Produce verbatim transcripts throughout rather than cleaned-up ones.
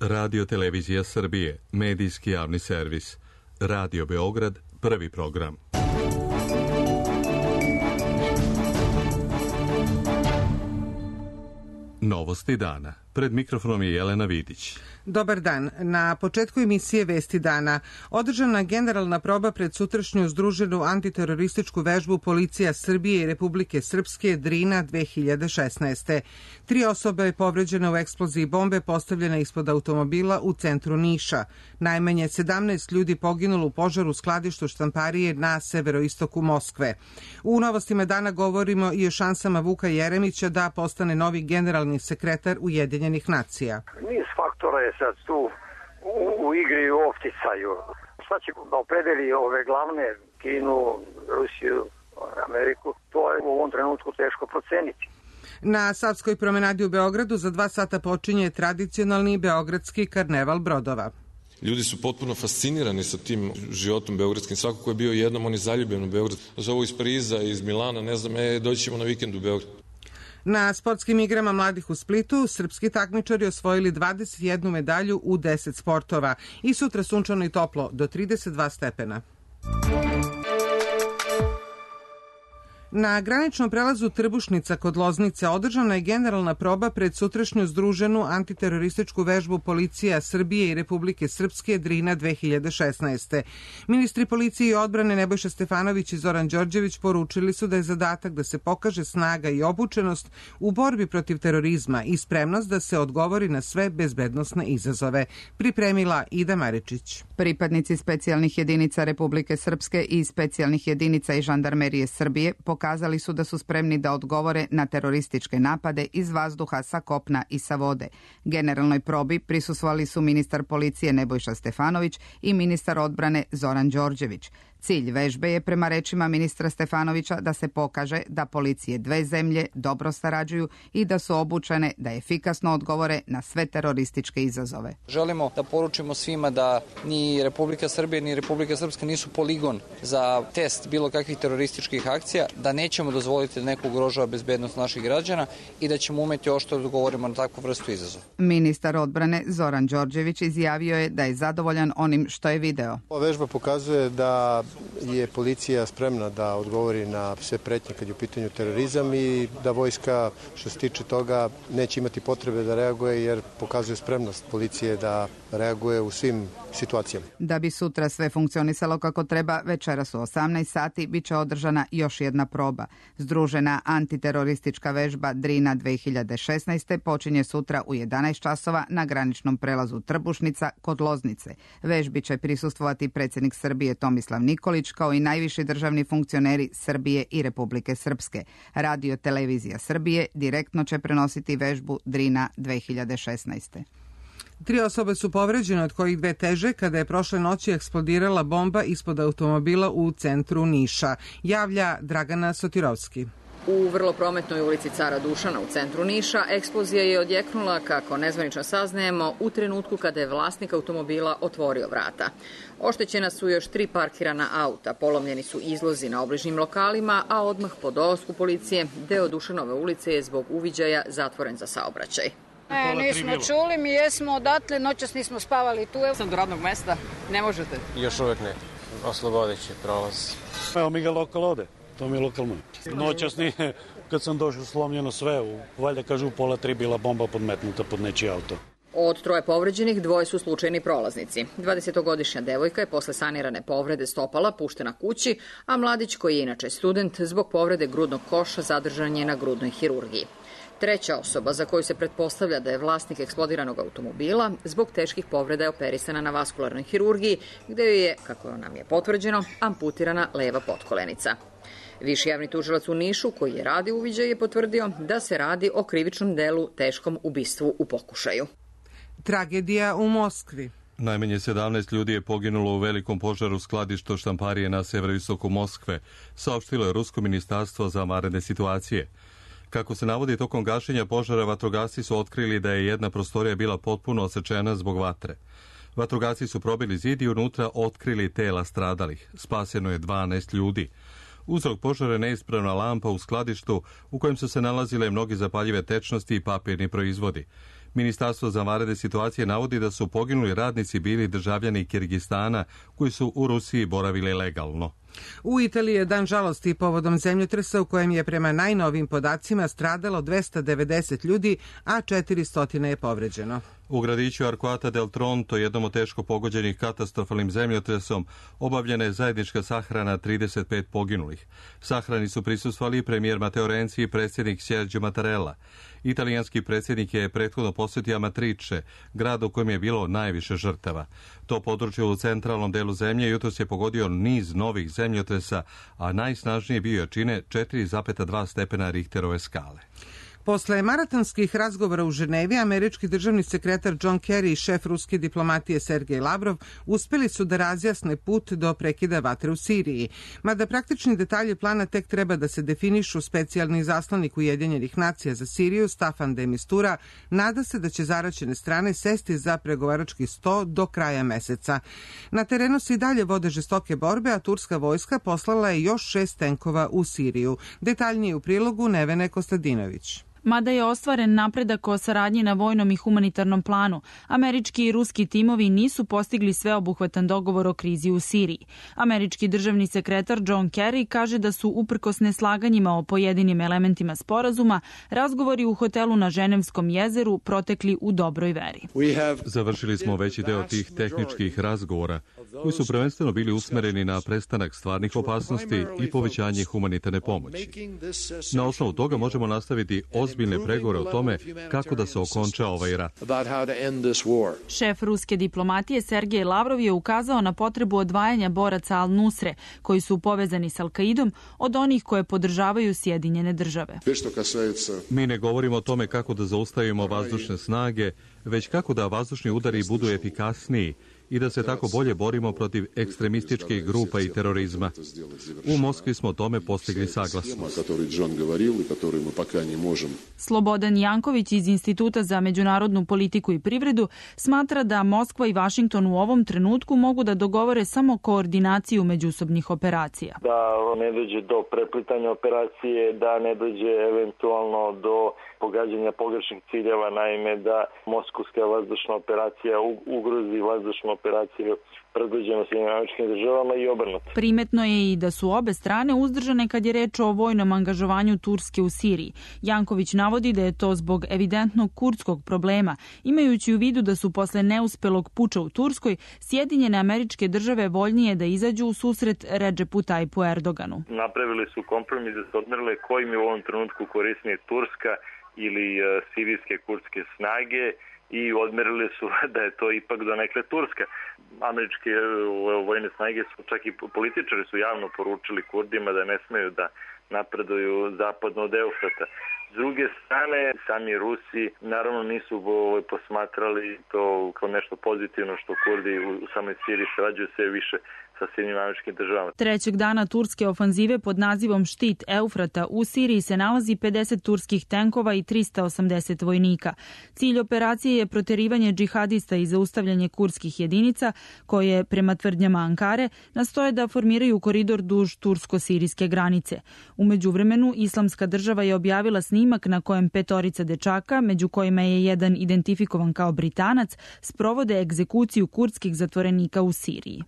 Radio Televizija Srbije, medijski javni servis. Radio Beograd, prvi program. Novosti dana. Pred mikrofonom je Jelena Vidić. Dobar dan. Na početku emisije Vesti dana održana generalna proba pred sutrašnju združenu antiterorističku vežbu Policija Srbije i Republike Srpske Drina dve hiljade šesnaeste. Tri osobe je povređene u eksploziji bombe postavljene ispod automobila u centru Niša. Najmanje sedamnaest ljudi poginulo u požaru u skladištu štamparije na severoistoku Moskve. U novostima dana govorimo i o šansama Vuka Jeremića da postane novi generalni sekretar Ujedinjenih nacija. Niz faktora je sad tu u, u igri i u opticaju. Šta će da opredeli ove glavne, Kinu, Rusiju, Ameriku, to je u ovom trenutku teško proceniti. Na Savskoj promenadi u Beogradu za dva sata počinje tradicionalni beogradski karneval brodova. Ljudi su potpuno fascinirani sa tim životom beogradskim. Svako ko je bio jednom, on je zaljubljen u Beograd. Zovu iz Pariza, iz Milana, ne znam, e, doći ćemo na vikend u Beograd. Na sportskim igrama mladih u Splitu srpski takmičari osvojili dvadeset jednu medalju u deset sportova i sutra sunčano i toplo do trideset dva stepena. Na graničnom prelazu Trbušnica kod Loznice održana je generalna proba pred sutrašnju združenu antiterorističku vežbu Policija Srbije i Republike Srpske Drina dve hiljade šesnaeste. Ministri policije i odbrane Nebojša Stefanović i Zoran Đorđević poručili su da je zadatak da se pokaže snaga i obučenost u borbi protiv terorizma i spremnost da se odgovori na sve bezbednosne izazove. Pripremila Ida Maričić. Pripadnici specijalnih jedinica Republike Srpske i specijalnih jedinica i žandarmerije Srbije pokazali su da su spremni da odgovore na terorističke napade iz vazduha, sa kopna i sa vode. Generalnoj probi prisustvovali su ministar policije Nebojša Stefanović i ministar odbrane Zoran Đorđević. Cilj vežbe je, prema rečima ministra Stefanovića, da se pokaže da policije dve zemlje dobro sarađuju i da su obučene da efikasno odgovore na sve terorističke izazove. Želimo da poručimo svima da ni Republika Srbija ni Republika Srpska nisu poligon za test bilo kakvih terorističkih akcija, da nećemo dozvoliti da neko ugrožava bezbednost naših građana i da ćemo umeti oštro da odgovorimo na takvu vrstu izazova. Ministar odbrane Zoran Đorđević izjavio je da je zadovoljan onim što je video. Ova vežba pokazuje da je policija spremna da odgovori na sve pretnje kad je u pitanju terorizam i da vojska, što se tiče toga, neće imati potrebe da reaguje jer pokazuje spremnost policije da reaguje u svim situacijama. Da bi sutra sve funkcionisalo kako treba, večeras u osamnaest sati bit će održana još jedna proba. Združena antiteroristička vežba Drina dve hiljade šesnaeste počinje sutra u jedanaest časova na graničnom prelazu Trbušnica kod Loznice. Vežbi će prisustvovati predsjednik Srbije Tomislav Nikolić, kao i najviši državni funkcioneri Srbije i Republike Srpske. Radio Televizija Srbije direktno će prenositi vežbu Drina dve hiljade šesnaeste. Tri osobe su povređene, od kojih dve teže, kada je prošle noći eksplodirala bomba ispod automobila u centru Niša. Javlja Dragana Sotirovski. U vrlo prometnoj ulici Cara Dušana u centru Niša eksplozija je odjeknula, kako nezvanično saznajemo, u trenutku kada je vlasnik automobila otvorio vrata. Oštećena su još tri parkirana auta, polomljeni su izlozi na obližnjim lokalima, a odmah po dolasku policije deo Dušanove ulice je zbog uviđaja zatvoren za saobraćaj. Ne, nismo čuli, mi jesmo odatle, noćas nismo spavali tu. Sam do radnog mesta, ne možete? Još uvek ne, oslobodeći prolaz. Evo mi ga lokal ode, to mi je lokal moj. Noćas nije, kad sam došao, slomljeno sve, u, valjda kažu u pola tri bila bomba podmetnuta pod nečiji auto. Od troje povređenih dvoje su slučajni prolaznici. dvadesetogodišnja devojka je posle sanirane povrede stopala puštena kući, a mladić, koji je inače student, zbog povrede grudnog koša zadržan je na grudnoj hirurgiji. Treća osoba, za koju se pretpostavlja da je vlasnik eksplodiranog automobila, zbog teških povreda je operisana na vaskularnoj hirurgiji, gde joj je, kako nam je potvrđeno, amputirana leva potkolenica. Viši javni tužilac u Nišu, koji je radio uviđaj, je potvrdio da se radi o krivičnom delu teškom ubistvu u pokušaju. Tragedija u Moskvi. Najmanje sedamnaest ljudi je poginulo u velikom požaru skladišta štamparije na severoistoku Moskve, saopštilo je Rusko ministarstvo za vanredne situacije. Kako se navodi, tokom gašenja požara vatrogasci su otkrili da je jedna prostorija bila potpuno osečena zbog vatre. Vatrogasci su probili zid i unutra otkrili tela stradalih. Spaseno je dvanaest ljudi. Uzrok požara je neispravna lampa u skladištu u kojem su se nalazile mnogi zapaljive tečnosti i papirni proizvodi. Ministarstvo za vanredne situacije navodi da su poginuli radnici bili državljani Kirgistana koji su u Rusiji boravili legalno. U Italiji je dan žalosti povodom zemljotresa u kojem je prema najnovim podacima stradalo dvesta devedeset ljudi, a četiristo je povređeno. U gradiću Arquata del Tronto, jednom od teško pogođenih katastrofalnim zemljotresom, obavljena je zajednička sahrana trideset pet poginulih. Sahrani su prisustvovali premijer Matteo Renzi i predsjednik Sergio Mattarella. Italijanski predsjednik je prethodno posjetio Amatrice, grad u kojem je bilo najviše žrtava. To područje u centralnom delu zemlje jutros je pogodio niz novih zemljotresa, a najsnažnije bio jačine četiri zarez dva stepena Richterove skale. Posle maratonskih razgovora u Ženevi, američki državni sekretar John Kerry i šef ruske diplomatije Sergej Lavrov uspeli su da razjasne put do prekida vatre u Siriji. Mada praktični detalji plana tek treba da se definišu, specijalni zaslanik Ujedinjenih nacija za Siriju Staffan de Mistura nada se da će zaraćene strane sesti za pregovarački sto do kraja meseca. Na terenu se i dalje vode žestoke borbe, a turska vojska poslala je još šest tenkova u Siriju. Detaljnije u prilogu Nevene Kostadinović. Mada je ostvaren napredak o saradnji na vojnom i humanitarnom planu, američki i ruski timovi nisu postigli sveobuhvatan dogovor o krizi u Siriji. Američki državni sekretar John Kerry kaže da su, uprkos neslaganjima o pojedinim elementima sporazuma, razgovori u hotelu na Ženevskom jezeru protekli u dobroj veri. Završili smo veći deo tih tehničkih razgovora, koji su prvenstveno bili usmereni na prestanak stvarnih opasnosti i povećanje humanitarne pomoći. Na osnovu toga možemo nastaviti ozbiljne pregovore o tome kako da se okonča ovaj rat. Šef ruske diplomatije Sergej Lavrov je ukazao na potrebu odvajanja boraca Al-Nusre, koji su povezani s Al-Kaidom, od onih koje podržavaju Sjedinjene države. Mi ne govorimo o tome kako da zaustavimo vazdušne snage, već kako da vazdušni udari budu efikasniji i da se tako bolje borimo protiv ekstremističkih grupa i terorizma. U Moskvi smo o tome postigli saglasnost. Slobodan Janković iz Instituta za međunarodnu politiku i privredu smatra da Moskva i Vašington u ovom trenutku mogu da dogovore samo koordinaciju međusobnih operacija. Da ne dođe do preplitanja operacije, da ne dođe eventualno do pogađanja pogrešnih ciljeva, naime da moskovska vazdušna operacija ugrozi vazdušnu operaciju predvođenu Sjedinjenim Američkim Državama i obrnuto. Primetno je i da su obe strane uzdržane kad je reč o vojnom angažovanju Turske u Siriji. Janković navodi da je to zbog evidentnog kurdskog problema, imajući u vidu da su posle neuspelog puča u Turskoj Sjedinjene Američke Države voljnije da izađu u susret Redžepu Tajpu Erdoganu. Napravili su kompromis da se odmerile kojim je u ovom trenutku korisnije Turska ili sirijske kurdske snage i odmerili su da je to ipak donekle Turska. Američke vojne snage su, čak i političari su javno poručili Kurdima da ne smeju da napreduju zapadno od Eufrata. S druge strane, sami Rusi naravno nisu posmatrali to kao nešto pozitivno što Kurdi u samoj Siriji sarađuju sve više sa Sjedinjenim Američkim Državama. Trećeg dana turske ofanzive pod nazivom Štit Eufrata u Siriji se nalazi pedeset turskih tenkova i trista osamdeset vojnika. Cilj operacije je proterivanje džihadista i zaustavljanje kurdskih jedinica koje, prema tvrdnjama Ankare, nastoje da formiraju koridor duž tursko-sirijske granice. U međuvremenu, Islamska država je objavila snimak na kojem petorica dečaka, među kojima je jedan identifikovan kao Britanac, sprovode egzekuciju kurdskih zatvorenika u Siriji.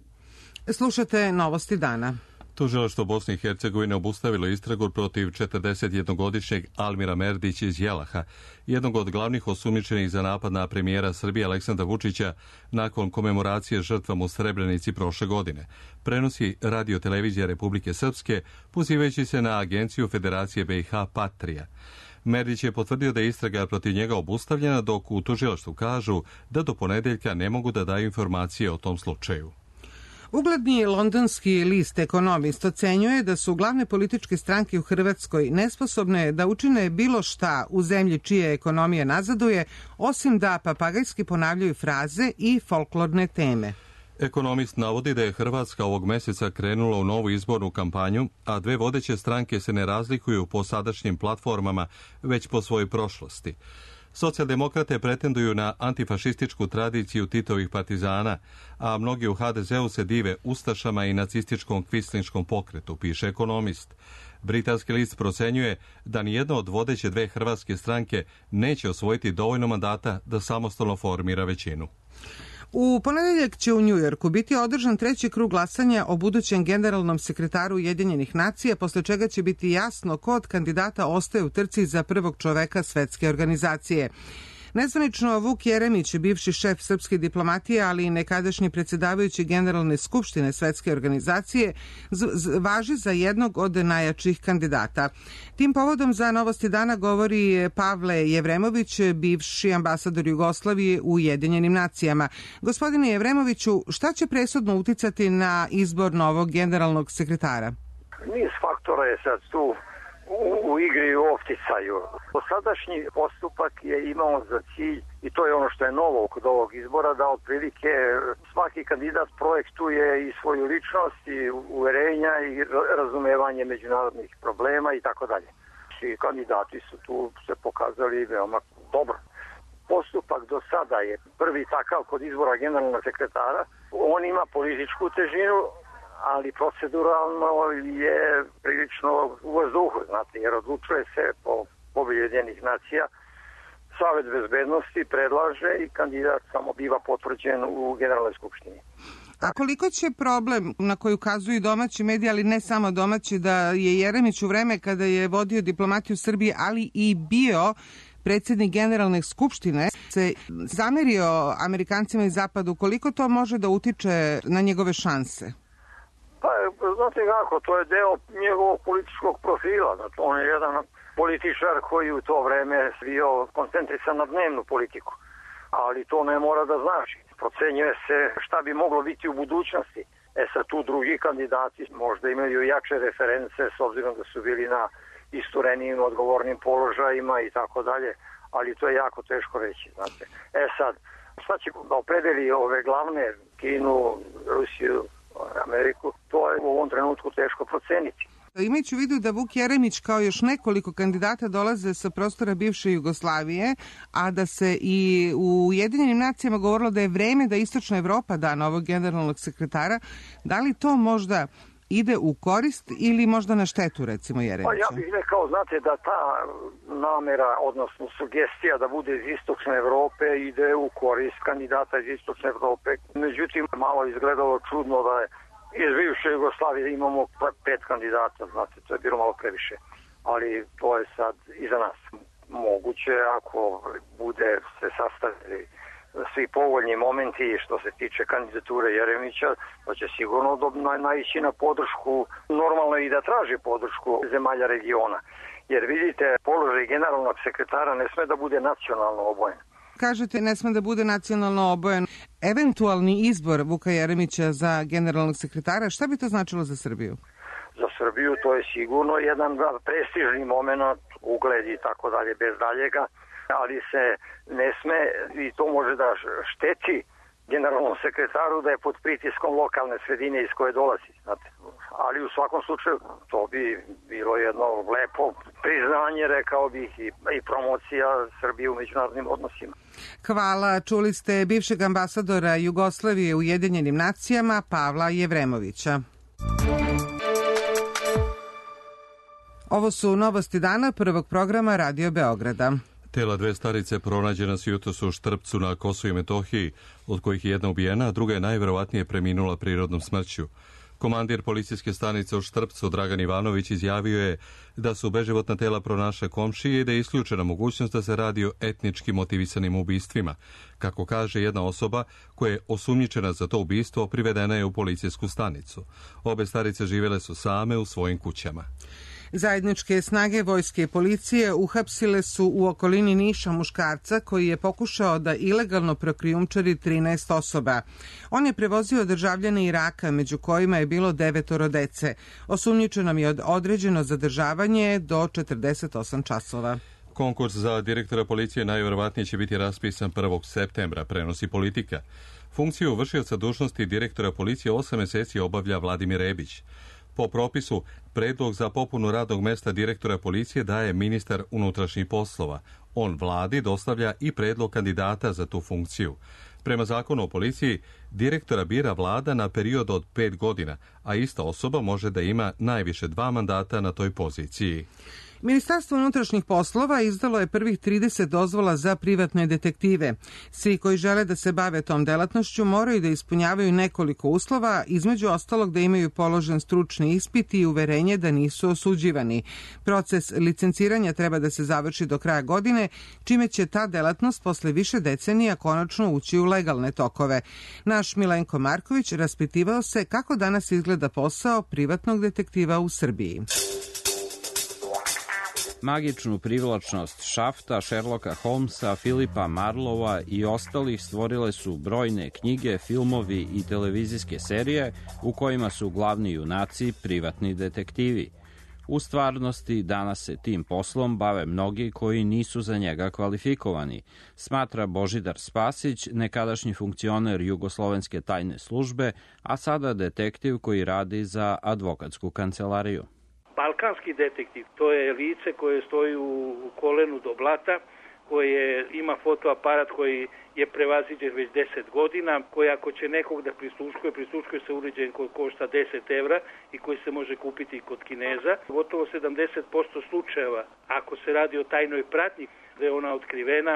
Slušate Novosti dana. Tužilaštvo Bosne i Hercegovine obustavilo istragu protiv četrdesetjednogodišnjeg Almira Merdića iz Jelaha, jednog od glavnih osumnjičenih za napad na premijera Srbije Aleksandra Vučića nakon komemoracije žrtvama u Srebrenici prošle godine. Prenosi Radio televizija Republike Srpske, pozivajući se na agenciju Federacije B i H Patrija. Merdić je potvrdio da je istraga protiv njega obustavljena, dok u tužilaštvu kažu da do ponedeljka ne mogu da daju informacije o tom slučaju. Ugledni londonski list Ekonomist ocenjuje da su glavne političke stranke u Hrvatskoj nesposobne da učine bilo šta u zemlji čija ekonomija nazaduje, osim da papagajski ponavljaju fraze i folklorne teme. Ekonomist navodi da je Hrvatska ovog meseca krenula u novu izbornu kampanju, a dve vodeće stranke se ne razlikuju po sadašnjim platformama, već po svojoj prošlosti. Socijaldemokrate pretenduju na antifašističku tradiciju Titovih partizana, a mnogi u ha de zeu se dive ustašama i nacističkom kvislinškom pokretu, piše Ekonomist. Britanski list procenjuje da nijedna od vodeće dve hrvatske stranke neće osvojiti dovoljno mandata da samostalno formira većinu. U ponedeljak će u Njujorku biti održan treći krug glasanja o budućem generalnom sekretaru Ujedinjenih nacija, posle čega će biti jasno ko od kandidata ostaje u trci za prvog čoveka svetske organizacije. Nezvanično, Vuk Jeremić, bivši šef srpske diplomatije, ali i nekadašnji predsjedavajući Generalne skupštine Svetske organizacije, važi za jednog od najjačih kandidata. Tim povodom za Novosti dana govori Pavle Jevremović, bivši ambasador Jugoslavije u Ujedinjenim nacijama. Gospodine Jevremoviću, šta će presudno uticati na izbor novog generalnog sekretara? Niz faktora je sad tu u, u igri u opticaju. Posadašnji postupak je imao za cilj, i to je ono što je novo kod ovog izbora, da otprilike svaki kandidat projektuje i svoju ličnost i uverenja i razumevanje međunarodnih problema i tako dalje. Svi kandidati su tu se pokazali veoma dobro. Postupak do sada je prvi takav kod izbora generalnog sekretara. On ima političku težinu, ali proceduralno je prilično u vazduhu, znate, jer odlučuje se po povelji Ujedinjenih nacija. Savet bezbednosti predlaže i kandidat samo biva potvrđen u Generalnoj skupštini. A koliko će problem na koji ukazuju domaći mediji, ali ne samo domaći, da je Jeremić u vreme kada je vodio diplomatiju Srbije, ali i bio predsjednik Generalne skupštine, se zamerio Amerikancima iz Zapadu, koliko to može da utiče na njegove šanse? Pa, znate kako, to je deo njegovog političkog profila. Znači, on je jedan političar koji u to vreme bio koncentrisan na dnevnu politiku. Ali to ne mora da znači. Procenjuje se šta bi moglo biti u budućnosti. E sad tu drugi kandidati možda imaju jače reference s obzirom da su bili na isturenijim odgovornim položajima i tako dalje. Ali to je jako teško reći, znate. E sad, šta će da opredeli ove glavne, Kinu, Rusiju, Ameriku, to je u ovom trenutku teško proceniti. Imajući u vidu da Vuk Jeremić kao još nekoliko kandidata dolaze sa prostora bivše Jugoslavije, a da se i u Ujedinjenim nacijama govorilo da je vreme da Istočna Evropa da novog generalnog sekretara, da li to možda ide u korist ili možda na štetu, recimo, Jeremića? Pa ja bih rekao, znate, da ta namera, odnosno sugestija da bude iz Istočne Evrope ide u korist kandidata iz Istočne Evrope. Međutim, malo izgledalo čudno da je iz bivše Jugoslavije imamo pet kandidata, znate, to je bilo malo previše. Ali to je sad iza nas. Moguće, ako bude se sastavili svi povoljni momenti što se tiče kandidature Jeremića, da će sigurno naići na podršku, normalno i da traži podršku zemalja regiona. Jer vidite, položaj generalnog sekretara ne sme da bude nacionalno obojen. Kažete, ne sme da bude nacionalno obojen. Eventualni izbor Vuka Jeremića za generalnog sekretara, šta bi to značilo za Srbiju? Za Srbiju to je sigurno jedan prestižni moment, ugled i tako dalje, bez daljega, ali se ne sme, i to može da šteti generalnom sekretaru da je pod pritiskom lokalne sredine iz koje dolazi. Znate. Ali u svakom slučaju to bi bilo jedno lepo priznanje, rekao bih, i, i promocija Srbije u međunarodnim odnosima. Hvala. Čuli ste bivšeg ambasadora Jugoslavije u Ujedinjenim nacijama Pavla Jevremovića. Ovo su Novosti dana prvog programa Radio Beograda. Tela dve starice pronađena su jutros u Štrpcu na Kosovu i Metohiji, od kojih je jedna ubijena, a druga je najverovatnije preminula prirodnom smrću. Komandir policijske stanice u Štrpcu, Dragan Ivanović, izjavio je da su beživotna tela pronašle komšije i da je isključena mogućnost da se radi o etnički motivisanim ubistvima. Kako kaže jedna osoba koja je osumnjičena za to ubistvo, privedena je u policijsku stanicu. Obe starice živjele su same u svojim kućama. Zajedničke snage vojske i policije uhapsile su u okolini Niša muškarca koji je pokušao da ilegalno prokrijumčari trinaest osoba. On je prevozio državljane Iraka, među kojima je bilo devetoro dece. Osumnjičenom je određeno zadržavanje do četrdeset osam časova. Konkurs za direktora policije najverovatnije će biti raspisan prvog septembra, prenosi Politika. Funkciju vršioca dužnosti direktora policije osam meseci obavlja Vladimir Rebić. Po propisu, predlog za popunu radnog mesta direktora policije daje ministar unutrašnjih poslova. On vladi dostavlja i predlog kandidata za tu funkciju. Prema zakonu o policiji, direktora bira vlada na period od pet godina, a ista osoba može da ima najviše dva mandata na toj poziciji. Ministarstvo unutrašnjih poslova izdalo je prvih trideset dozvola za privatne detektive. Svi koji žele da se bave tom delatnošću moraju da ispunjavaju nekoliko uslova, između ostalog da imaju položen stručni ispit i uverenje da nisu osuđivani. Proces licenciranja treba da se završi do kraja godine, čime će ta delatnost posle više decenija konačno ući u legalne tokove. Naš Milenko Marković raspitivao se kako danas izgleda posao privatnog detektiva u Srbiji. Magičnu privlačnost Šafta, Sherlocka Holmesa, Filipa Marlova i ostalih stvorile su brojne knjige, filmovi i televizijske serije u kojima su glavni junaci privatni detektivi. U stvarnosti danas se tim poslom bave mnogi koji nisu za njega kvalifikovani, smatra Božidar Spasić, nekadašnji funkcioner Jugoslovenske tajne službe, a sada detektiv koji radi za advokatsku kancelariju. Balkanski detektiv, to je lice koje stoji u kolenu do blata, koje ima fotoaparat koji je prevaziđen već deset godina, koji ako će nekog da prisluškuje, prisluškuje se uređaj koji košta deset evra i koji se može kupiti kod Kineza. Gotovo sedamdeset posto slučajeva, ako se radi o tajnoj pratnji, da je ona otkrivena,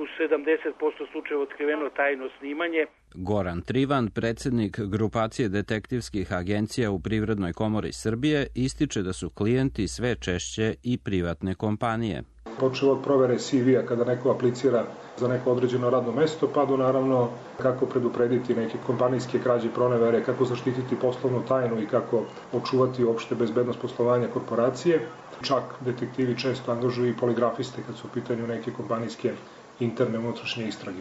u sedamdeset posto slučajeva otkriveno tajno snimanje. Goran Trivan, predsednik grupacije detektivskih agencija u Privrednoj komori Srbije, ističe da su klijenti sve češće i privatne kompanije. Počeo od provere C V-a kada neko aplicira za neko određeno radno mesto, pa do naravno kako preduprediti neke kompanijske krađe, pronevere, kako zaštititi poslovnu tajnu i kako očuvati uopšte bezbednost poslovanja korporacije. Čak detektivi često angažuju i poligrafiste kad su u pitanju neke kompanijske interne unutrašnje istrage.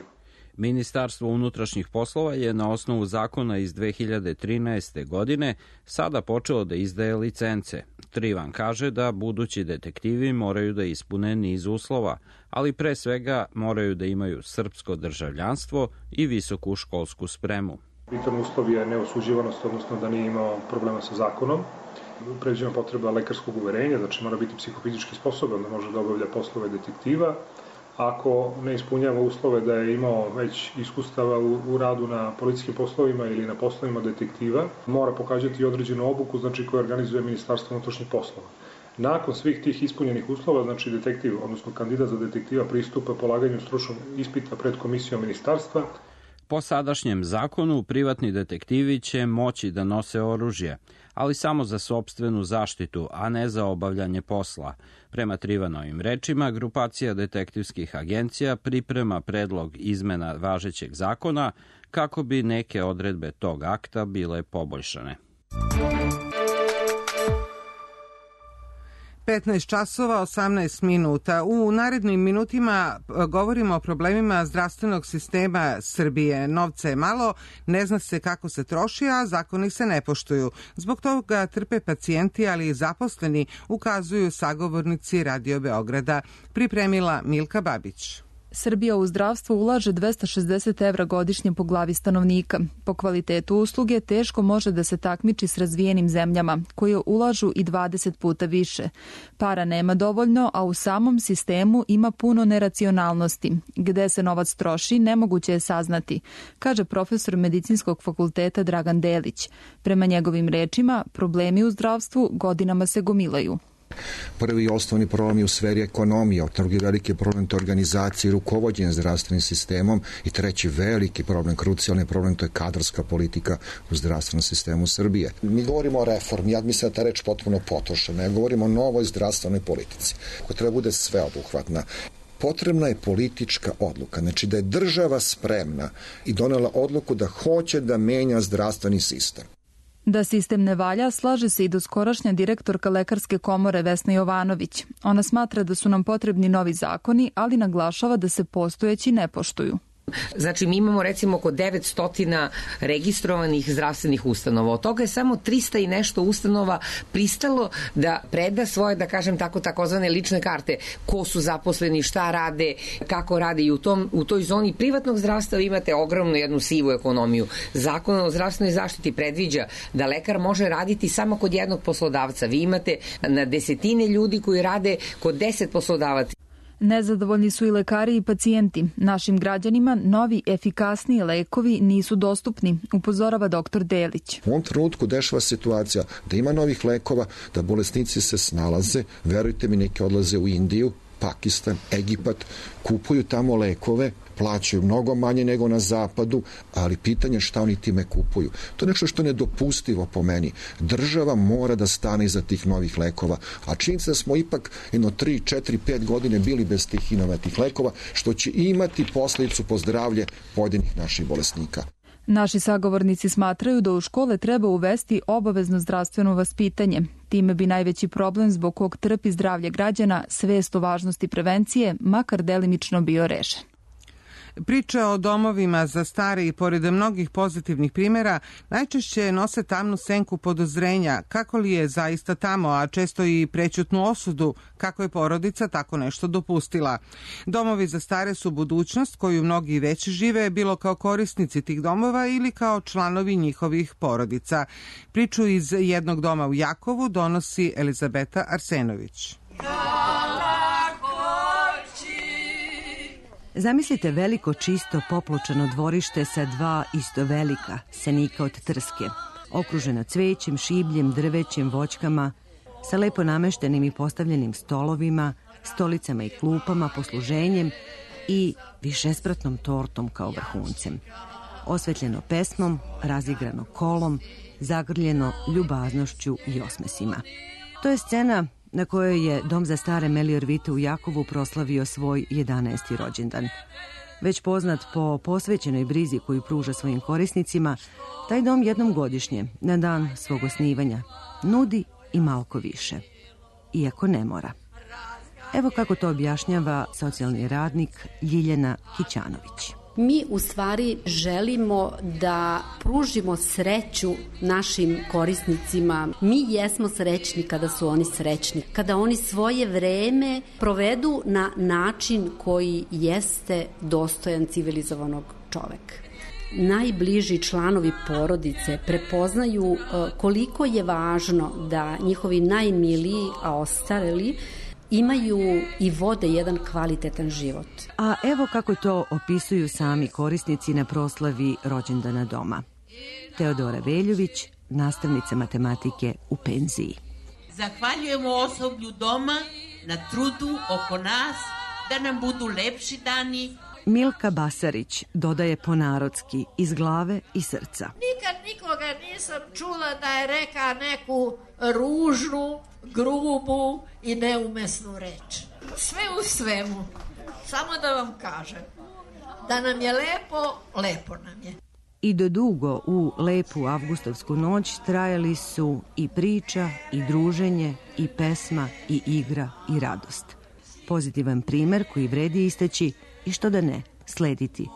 Ministarstvo unutrašnjih poslova je na osnovu zakona iz dve hiljade trinaeste. godine sada počelo da izdaje licence. Trivan kaže da budući detektivi moraju da ispune niz uslova, ali pre svega moraju da imaju srpsko državljanstvo i visoku školsku spremu. Bitan uslov je neosuđivanost, odnosno da nije imao problema sa zakonom. Pređena potreba lekarskog uverenja, znači mora biti psihofizički sposoban da može da obavlja poslove detektiva. Ako ne ispunjava uslove da je imao već iskustava u, u radu na policijskim poslovima ili na poslovima detektiva, mora pokazati određenu obuku, znači koju organizuje Ministarstvo unutrašnjih poslova. Nakon svih tih ispunjenih uslova, znači detektiv, odnosno kandidat za detektiva pristupa polaganju stručnog ispita pred komisijom ministarstva. Po sadašnjem zakonu, privatni detektivi će moći da nose oružje, ali samo za sopstvenu zaštitu, a ne za obavljanje posla. Prema Trivanovim rečima, grupacija detektivskih agencija priprema predlog izmena važećeg zakona kako bi neke odredbe tog akta bile poboljšane. petnaest časova osamnaest minuta. U narednim minutima govorimo o problemima zdravstvenog sistema Srbije. Novca je malo, ne zna se kako se troši, a zakoni se ne poštuju. Zbog toga trpe pacijenti, ali i zaposleni, ukazuju sagovornici Radio Beograda. Pripremila Milka Babić. Srbija u zdravstvo ulaže dvesta šezdeset evra godišnje po glavi stanovnika. Po kvalitetu usluge teško može da se takmiči s razvijenim zemljama, koje ulažu i dvadeset puta više. Para nema dovoljno, a u samom sistemu ima puno neracionalnosti. Gde se novac troši, nemoguće je saznati, kaže profesor Medicinskog fakulteta Dragan Delić. Prema njegovim rečima, problemi u zdravstvu godinama se gomilaju. Prvi i osnovni problem je u sferi ekonomije, drugi veliki problem to je organizacija i rukovođenje zdravstvenim sistemom i treći veliki problem, krucijalni problem, to je kadrovska politika u zdravstvenom sistemu Srbije. Mi govorimo o reformi, ja mislim da ta reč potpuno potrošena, ja govorimo o novoj zdravstvenoj politici, koja treba bude sveobuhvatna. Potrebna je politička odluka, znači da je država spremna i donela odluku da hoće da menja zdravstveni sistem. Da sistem ne valja, slaže se i doskorašnja direktorka Lekarske komore Vesna Jovanović. Ona smatra da su nam potrebni novi zakoni, ali naglašava da se postojeći ne poštuju. Znači, mi imamo recimo oko devetsto registrovanih zdravstvenih ustanova. Od toga je samo trista i nešto ustanova pristalo da preda svoje, da kažem tako, takozvane lične karte. Ko su zaposleni, šta rade, kako rade i u, tom, u toj zoni privatnog zdravstva imate ogromnu jednu sivu ekonomiju. Zakon o zdravstvenoj zaštiti predviđa da lekar može raditi samo kod jednog poslodavca. Vi imate na desetine ljudi koji rade kod deset poslodavaca. Nezadovoljni su i lekari i pacijenti. Našim građanima novi, efikasniji lekovi nisu dostupni, upozorava doktor Delić. U ovom trenutku dešava situacija da ima novih lekova, da bolesnici se snalaze, verujte mi, neki odlaze u Indiju, Pakistan, Egipat, kupuju tamo lekove, plaćaju mnogo manje nego na zapadu, ali pitanje šta oni time kupuju. To je nešto što je nedopustivo po meni. Država mora da stane iza tih novih lekova, a činjenica da smo ipak jedno tri, četiri, pet godine bili bez tih inovatnih lekova, što će imati posledicu po zdravlje pojedinih naših bolesnika. Naši sagovornici smatraju da u škole treba uvesti obavezno zdravstveno vaspitanje. Time bi najveći problem zbog kog trpi zdravlje građana, svest o važnosti prevencije, makar delimično bio rešen. Priča o domovima za stare i pored mnogih pozitivnih primjera najčešće nose tamnu senku podozrenja kako li je zaista tamo, a često i prećutnu osudu kako je porodica tako nešto dopustila. Domovi za stare su budućnost koju mnogi već žive, bilo kao korisnici tih domova ili kao članovi njihovih porodica. Priču iz jednog doma u Jakovu donosi Elizabeta Arsenović. Zamislite veliko, čisto, popločano dvorište sa dva isto velika senika od trske, okruženo cvećem, šibljem, drvećem, voćkama, sa lepo nameštenim i postavljenim stolovima, stolicama i klupama, posluženjem i višespratnom tortom kao vrhuncem. Osvetljeno pesmom, razigrano kolom, zagrljeno ljubaznošću i osmesima. To je scena na kojoj je Dom za stare Melior Vite u Jakovu proslavio svoj jedanaesti rođendan. Već poznat po posvećenoj brizi koju pruža svojim korisnicima, taj dom jednom godišnje, na dan svog osnivanja, nudi i malko više. Iako ne mora. Evo kako to objašnjava socijalni radnik Ljiljana Kićanović. Mi u stvari želimo da pružimo sreću našim korisnicima. Mi jesmo srećni kada su oni srećni, kada oni svoje vreme provedu na način koji jeste dostojan civilizovanog čoveka. Najbliži članovi porodice prepoznaju koliko je važno da njihovi najmiliji, a ostareli, imaju i vode jedan kvalitetan život. A evo kako to opisuju sami korisnici na proslavi rođendana doma. Teodora Veljović, nastavnica matematike u penziji. Zahvaljujemo osoblju doma na trudu oko nas da nam budu lepši dani. Milka Basarić dodaje ponarodski iz glave i srca. Nikad nikoga nisam čula da je reka neku ružnu, grubu i neumesnu reč. Sve u svemu, samo da vam kažem, da nam je lepo, lepo nam je. I do dugo u lepu avgustovsku noć trajali su i priča, i druženje, i pesma, i igra, i radost. Pozitivan primer koji vredi istaći i što da ne, slediti,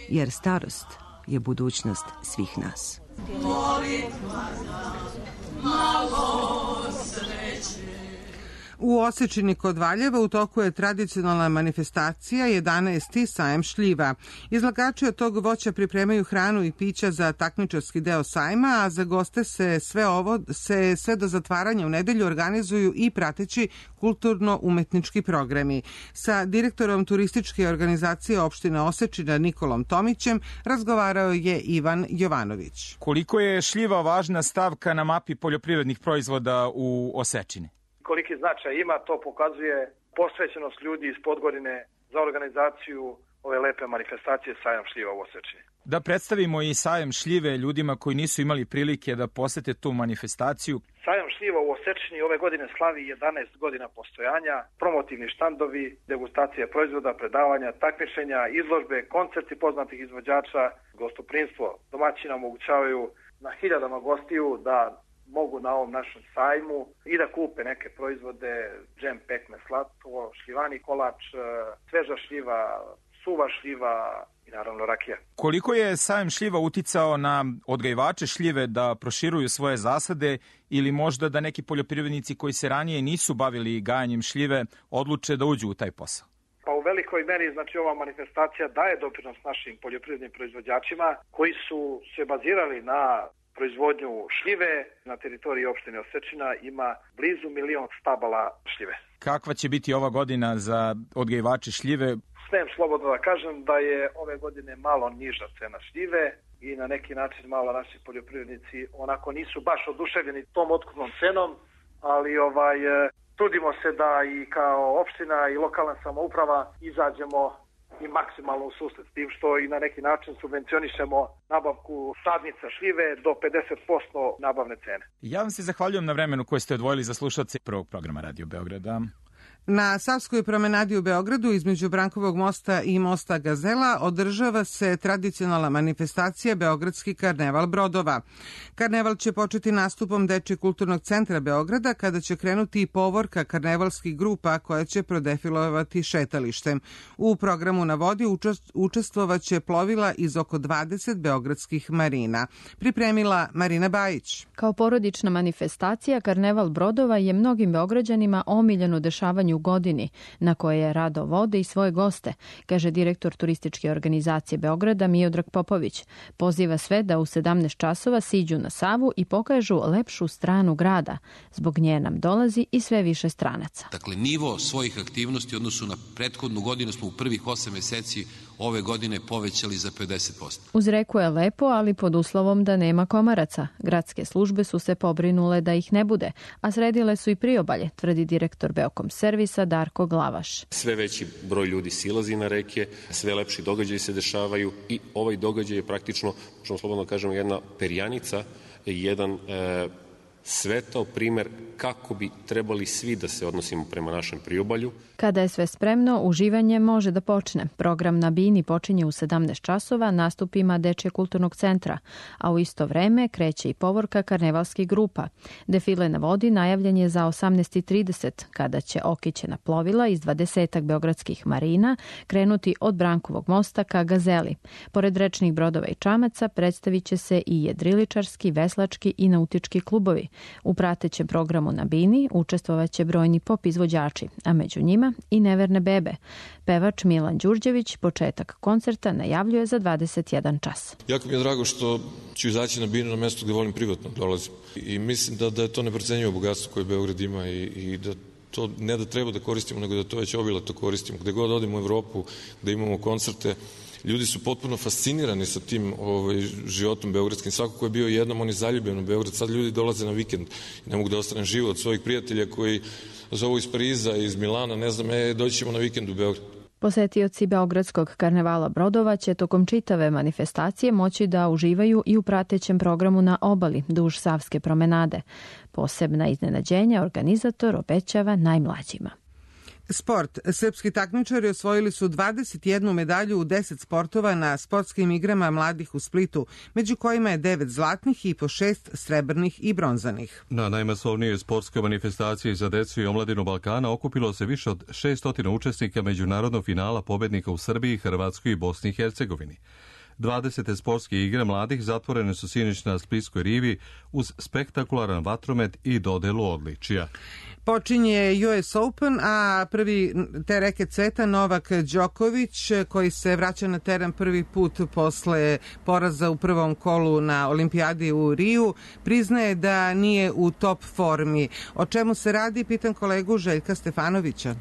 jer starost je budućnost svih nas. U Osečini kod Valjeva u toku je tradicionalna manifestacija jedanaesti sajam šljiva. Izlagači od tog voća pripremaju hranu i pića za takmičarski deo sajma, a za goste se sve ovo se sve do zatvaranja u nedelju organizuju i prateći kulturno-umetnički programi. Sa direktorom turističke organizacije opštine Osečina Nikolom Tomićem razgovarao je Ivan Jovanović. Koliko je šljiva važna stavka na mapi poljoprivrednih proizvoda u Osečini? Koliki značaj ima, to pokazuje posvećenost ljudi iz Podgorine za organizaciju ove lepe manifestacije Sajam šljiva u Osečini. Da predstavimo i sajam šljive ljudima koji nisu imali prilike da posete tu manifestaciju. Sajam šljiva u Osečini ove godine slavi jedanaest godina postojanja, promotivni štandovi, degustacije proizvoda, predavanja, takmičenja, izložbe, koncerti poznatih izvođača, gostoprimstvo. Domaćina omogućavaju na hiljadama gostiju da mogu na ovom našem sajmu i da kupe neke proizvode, džem, pekme, slatko, šljivani kolač, sveža šljiva, suva šljiva i naravno rakija. Koliko je sajam šljiva uticao na odgajivače šljive da proširuju svoje zasade ili možda da neki poljoprivrednici koji se ranije nisu bavili gajanjem šljive odluče da uđu u taj posao? Pa u velikoj meri, znači, ova manifestacija daje doprinos našim poljoprivrednim proizvođačima koji su se bazirali na proizvodnju šljive. Na teritoriji opštine Osečina ima blizu milion stabala šljive. Kakva će biti ova godina za odgajivače šljive? Smijem slobodno da kažem da je ove godine malo niža cena šljive i na neki način malo naši poljoprivrednici onako nisu baš oduševljeni tom otkupnom cenom, ali ovaj trudimo se da i kao opština i lokalna samouprava izađemo i maksimalno u susret, s tim što i na neki način subvencionišemo nabavku sadnica šljive do pedeset posto nabavne cene. Ja vam se zahvaljujem na vremenu koje ste odvojili za slušalce prvog programa Radio Beograda. Na Savskoj promenadi u Beogradu između Brankovog mosta i mosta Gazela održava se tradicionalna manifestacija Beogradski karneval brodova. Karneval će početi nastupom Dečijeg kulturnog centra Beograda kada će krenuti i povorka karnevalskih grupa koja će prodefilovati šetalištem. U programu na vodi učestvovaće plovila iz oko dvadeset beogradskih marina. Pripremila Marina Bajić. Kao porodična manifestacija, karneval brodova je mnogim Beograđanima omiljeno dešavanje u godini, na koje rado vode i svoje goste, kaže direktor turističke organizacije Beograda Miodrag Popović. Poziva sve da u sedamnaest časova siđu na Savu i pokažu lepšu stranu grada. Zbog nje nam dolazi i sve više stranaca. Dakle, nivo svojih aktivnosti u odnosu na prethodnu godinu smo u prvih osam meseci ove godine povećali za pedeset posto. Uz reku je lepo, ali pod uslovom da nema komaraca. Gradske službe su se pobrinule da ih ne bude, a sredile su i priobalje, tvrdi direktor Beokom servisa Darko Glavaš. Sve veći broj ljudi silazi na reke, sve lepši događaji se dešavaju i ovaj događaj je praktično, možemo slobodno kažemo, jedna perjanica, jedan e, svetao primer kako bi trebali svi da se odnosimo prema našem priobalju. Kada je sve spremno, uživanje može da počne. Program na Bini počinje u sedamnaest časova nastupima Dečijeg kulturnog centra, a u isto vreme kreće i povorka karnevalskih grupa. Defile na vodi najavljen je za osamnaest i trideset, kada će okićena plovila iz dvadesetak beogradskih marina krenuti od Brankovog mosta ka Gazeli. Pored rečnih brodova i čamaca predstavit će se i jedriličarski, veslački i nautički klubovi. U pratećem programu na Bini učestvovaće brojni pop izvođači, a među njima i neverne bebe. Pevač Milan Đurđević početak koncerta najavljuje za dvadeset jedan čas. Jako mi je drago što ću izaći na Binu na mesto gde volim privatno dolazim. I mislim da, da je to neprocenjivo bogatstvo koje Beograd ima i, i da to ne da treba da koristimo, nego da to već obilato koristimo. Gde god odimo u Evropu, da imamo koncerte, ljudi su potpuno fascinirani sa tim ovaj, životom beogradskim. Svako ko je bio jednom, on je zaljubljen u Beograd. Sad ljudi dolaze na vikend i ne mogu da ostane živo od svojih prijatelja koji zovu iz Pariza, iz Milana, ne znam, e, doći ćemo na vikend u Beograd. Posetioci Beogradskog karnevala brodova će tokom čitave manifestacije moći da uživaju i u pratećem programu na obali duž Savske promenade. Posebna iznenađenja organizator obećava najmlađima. Sport. Srpski takmičari osvojili su dvadeset jednu medalju u deset sportova na sportskim igrama mladih u Splitu, među kojima je devet zlatnih i po šest srebrnih i bronzanih. Na najmasovnijoj sportskoj manifestaciji za decu i omladinu Balkana okupilo se više od šestot učesnika međunarodnog finala pobednika u Srbiji, Hrvatskoj i Bosni i Hercegovini. dvadesete sportske igre mladih zatvorene su sinoć na Splitskoj rivi uz spektakularan vatromet i dodelu odličija. Počinje U S Open, a prvi te reke cveta Novak Đoković, koji se vraća na teren prvi put posle poraza u prvom kolu na olimpijadi u Riju, priznaje da nije u top formi. O čemu se radi, pitam kolegu Željka Stefanovića.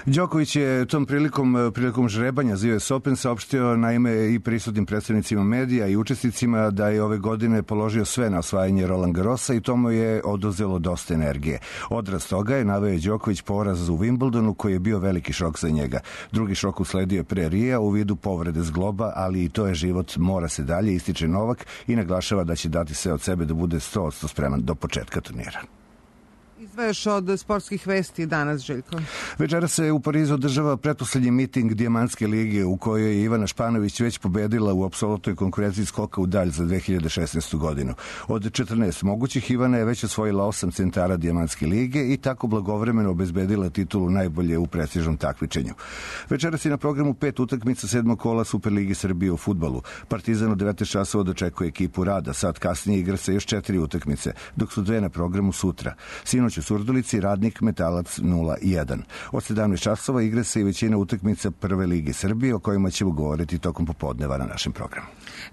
Đoković je tom prilikom, prilikom žrebanja za U S Open saopštio naime i prisutnim predstavnicima medija i učesnicima da je ove godine položio sve na osvajanje Roland Garrosa i to mu je oduzelo dosta energije. Odraz toga je naveo Đoković poraz u Wimbledonu koji je bio veliki šok za njega. Drugi šok usledio pre Rija u vidu povrede zgloba, ali i to je život, mora se dalje, ističe Novak i naglašava da će dati sve od sebe da bude sto posto spreman do početka turnira. Izdvajaš od sportskih vesti danas, Željko. Večera se u Parizu održava pretposlednji miting Dijamantske lige u kojoj je Ivana Španović već pobedila u apsolutnoj konkurenciji skoka u dalj za dve hiljade šesnaestu. godinu. Od četrnaest mogućih Ivana je već osvojila osam centara Dijamantske lige i tako blagovremeno obezbedila titulu najbolje u prestižnom takmičenju. Večera se na programu pet utakmica sedmog kola Superligi Srbije u fudbalu. Partizan u devetnaest časova dočekuje ekipu Rada, sad kasnije igra se još četiri utakmice, dok su dve na programu sutra. Sinoć u u Surdulici, Radnik Metalac nula jedan. Od sedamnaest časova igre se i većina utakmica Prve lige Srbije, o kojima ćemo govoriti tokom popodneva na našem programu.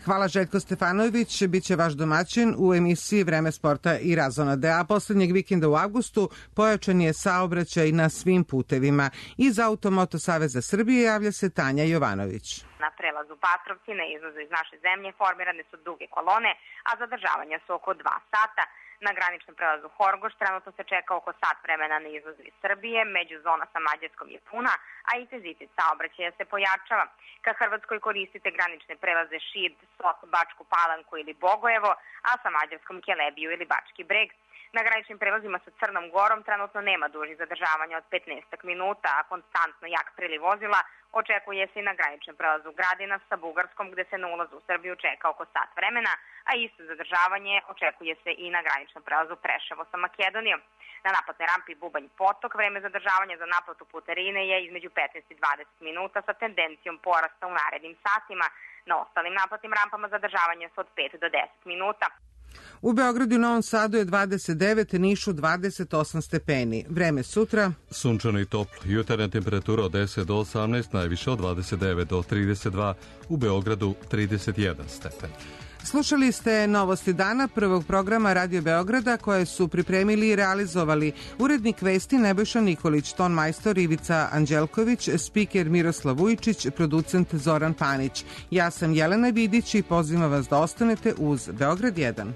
Hvala Željko Stefanović, bit će vaš domaćin u emisiji Vreme sporta i razonade. A poslednjeg vikenda u avgustu pojačan je saobraćaj na svim putevima. Iz Automoto Saveza Srbije javlja se Tanja Jovanović. Na prelazu Patrovci na izlazu iz naše zemlje formirane su duge kolone, a zadržavanja su oko dva sata. Na graničnom prelazu Horgoš trenutno se čeka oko sat vremena na izlazu iz Srbije, međuzona sa Mađarskom je puna, a intenzitet saobraćaja se pojačava. Ka Hrvatskoj koristite granične prelaze Šid, Sot, Bačku Palanku ili Bogojevo, a sa Mađarskom Kelebiju ili Bački Breg. Na graničnim prelazima sa Crnom Gorom trenutno nema dužih zadržavanja od petnaest minuta, a konstantno jak priliv vozila očekuje se i na graničnom prelazu Gradina sa Bugarskom, gde se na ulazu u Srbiju čeka oko sat vremena, a isto zadržavanje očekuje se i na graničnom prelazu Preševo sa Makedonijom. Na naplatnoj rampi Bubanj Potok vreme zadržavanja za naplatu putarine je između petnaest i dvadeset minuta sa tendencijom porasta u narednim satima. Na ostalim naplatnim rampama zadržavanja su od pet do deset minuta. U Beogradu i Novom Sadu je dvadeset devet, Nišu dvadeset osam stepeni. Vreme sutra. Sunčano i toplo. Jutarnja temperatura od deset do osamnaest, najviše od dvadeset devet do trideset dva, u Beogradu trideset jedan stepen. Slušali ste Novosti dana prvog programa Radio Beograda koje su pripremili i realizovali urednik vesti Nebojša Nikolić, ton majstor Ivica Anđelković, spiker Miroslav Vujčić, producent Zoran Panić. Ja sam Jelena Vidić i pozivam vas da ostanete uz Beograd jedan.